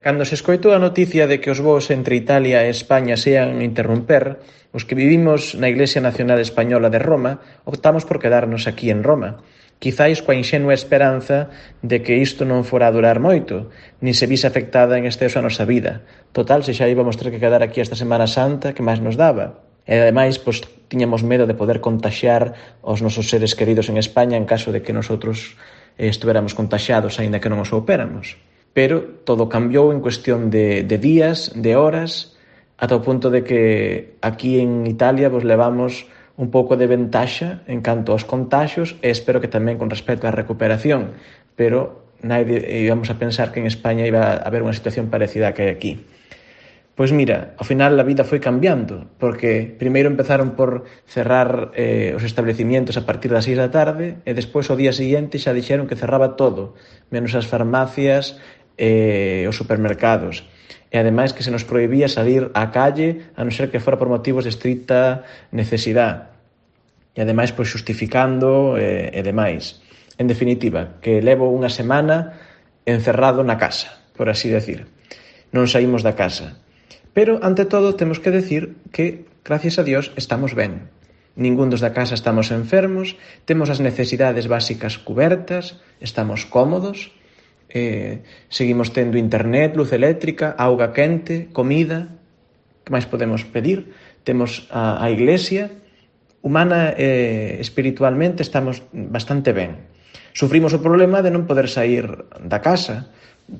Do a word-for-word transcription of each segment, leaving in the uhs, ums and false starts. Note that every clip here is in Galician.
Cando se escoitou a noticia de que os voos entre Italia e España se ian interromper, os que vivimos na Iglesia Nacional Española de Roma optamos por quedarnos aquí en Roma, quizáis coa inxenua esperanza de que isto non fora a durar moito, nin se vise afectada en exceso a nosa vida. Total, se xa íbamos ter que quedar aquí esta Semana Santa, que máis nos daba? E ademais, pois, tiñamos medo de poder contaxiar os nosos seres queridos en España en caso de que nosotros eh, estuéramos contaxiados, aínda que non o soupéramos. Pero todo cambiou en cuestión de, de días, de horas, ata o punto de que aquí en Italia vos levamos un pouco de ventaxa en canto aos contaxios e espero que tamén con respecto á recuperación, pero naide íbamos a pensar que en España iba a haber unha situación parecida a que hai aquí. Pois mira, ao final a vida foi cambiando, porque primeiro empezaron por cerrar eh, os establecimientos a partir das seis da tarde e despois ao día seguinte xa dixeron que cerraba todo, menos as farmacias e os supermercados. E ademais que se nos prohibía salir á calle a non ser que fora por motivos de estricta necesidade. E ademais pois xustificando e, e demais. En definitiva, que levo unha semana encerrado na casa, por así decir. Non saímos da casa. Pero, ante todo, temos que decir que, gracias a Dios, estamos ben. Ningún dos da casa estamos enfermos, temos as necesidades básicas cubertas, estamos cómodos, eh, seguimos tendo internet, luz eléctrica, auga quente, comida, que máis podemos pedir? Temos a, a iglesia, humana e espiritualmente estamos bastante ben. Sufrimos o problema de non poder sair da casa,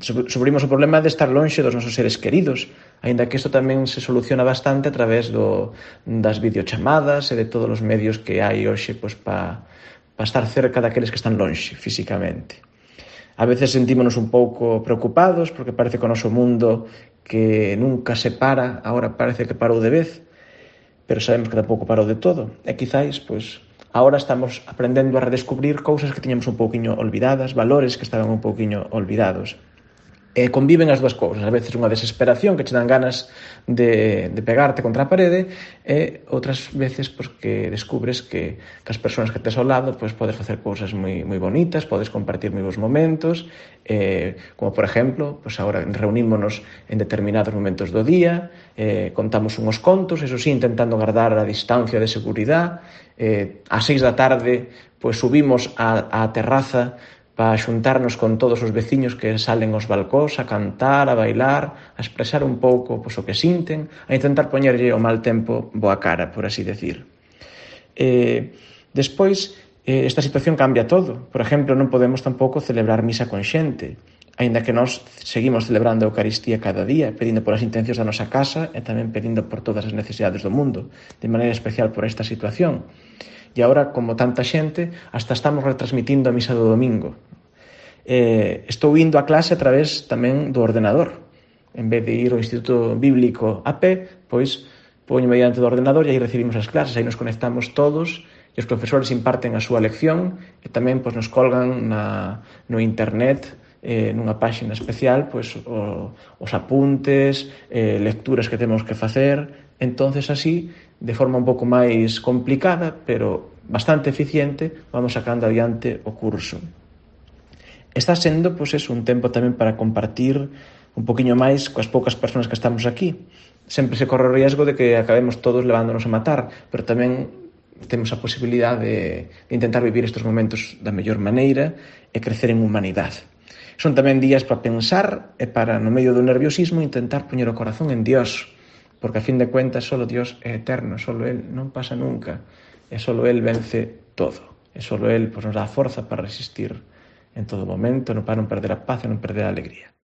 sufrimos o problema de estar lonxe dos nosos seres queridos, aínda que isto tamén se soluciona bastante a través do, das videochamadas e de todos os medios que hai hoxe pois, para pa estar cerca daqueles que están lonxe físicamente. A veces sentímonos un pouco preocupados porque parece que o noso mundo que nunca se para, agora parece que parou de vez, pero sabemos que tampouco parou de todo. E quizáis, pois, agora estamos aprendendo a redescubrir cousas que tiñamos un pouquiño olvidadas, valores que estaban un pouquiño olvidados. E conviven as dúas cousas, a veces unha desesperación que che dan ganas de, de pegarte contra a parede e outras veces pois, que descubres que, que as persoas que tes ao lado pois, podes facer cousas moi, moi bonitas, podes compartir moi bons momentos, eh, como por exemplo, pois agora reunímonos en determinados momentos do día, eh, contamos unhos contos, eso sí, intentando guardar a distancia de seguridade, eh, ás seis da tarde pois, subimos á, á terraza para xuntarnos con todos os veciños que salen aos balcóns a cantar, a bailar, a expresar un pouco pois, o que sinten, a intentar poñerlle o mal tempo boa cara, por así decir. Eh, despois, eh, esta situación cambia todo. Por exemplo, non podemos tampouco celebrar misa con xente, aínda que nós seguimos celebrando a Eucaristía cada día, pedindo polas intencións da nosa casa e tamén pedindo por todas as necesidades do mundo, de maneira especial por esta situación. E agora, como tanta xente, hasta estamos retransmitindo a misa do domingo. Eh, estou indo a clase a través tamén do ordenador. En vez de ir ao Instituto Bíblico a pé, pois poño mediante do ordenador e aí recibimos as clases, aí nos conectamos todos e os profesores imparten a súa lección e tamén pois, nos colgan na, no internet eh, nunha páxina especial pois, o, os apuntes, eh, lecturas que temos que facer. Entonces así, de forma un pouco máis complicada, pero bastante eficiente, vamos sacando adiante o curso. Está sendo, pois, eso, un tempo tamén para compartir un poquinho máis coas poucas persoas que estamos aquí. Sempre se corre o riesgo de que acabemos todos levándonos a matar, pero tamén temos a posibilidade de, de intentar vivir estes momentos da mellor maneira e crecer en humanidade. Son tamén días para pensar e para, no medio do nerviosismo, intentar poñer o corazón en Dios, porque a fin de cuentas solo Dios é eterno, solo Él non pasa nunca, e solo Él vence todo, e solo Él pois, nos dá a forza para resistir en todo momento, para non perder a paz e non perder a alegría.